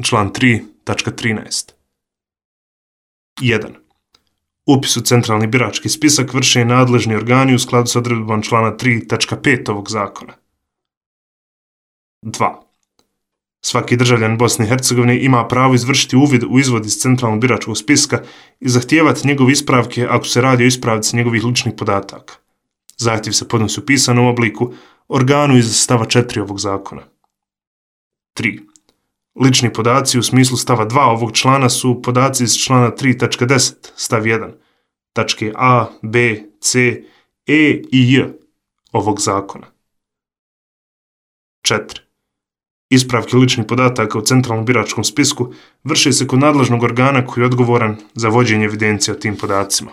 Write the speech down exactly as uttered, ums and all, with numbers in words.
Član tri tačka trinaest. jedan. Upis u centralni birački spisak vrše nadležni organi u skladu s odredbom člana tri tačka pet ovog zakona. dva. Svaki državljan Bosne i Hercegovine ima pravo izvršiti uvid u izvod iz centralnog biračkog spiska i zahtijevati njegove ispravke ako se radi o ispravci njegovih ličnih podataka. Zahtjev se podnosi u pisanom obliku organu iz stava četiri ovog zakona. tri. Lični podaci u smislu stava dva ovog člana su podaci iz člana tri tačka deset stav jedan, tačke A, B, C, E i J ovog zakona. četiri. Ispravke ličnih podataka u centralnom biračkom spisku vrše se kod nadležnog organa koji je odgovoran za vođenje evidencije o tim podacima.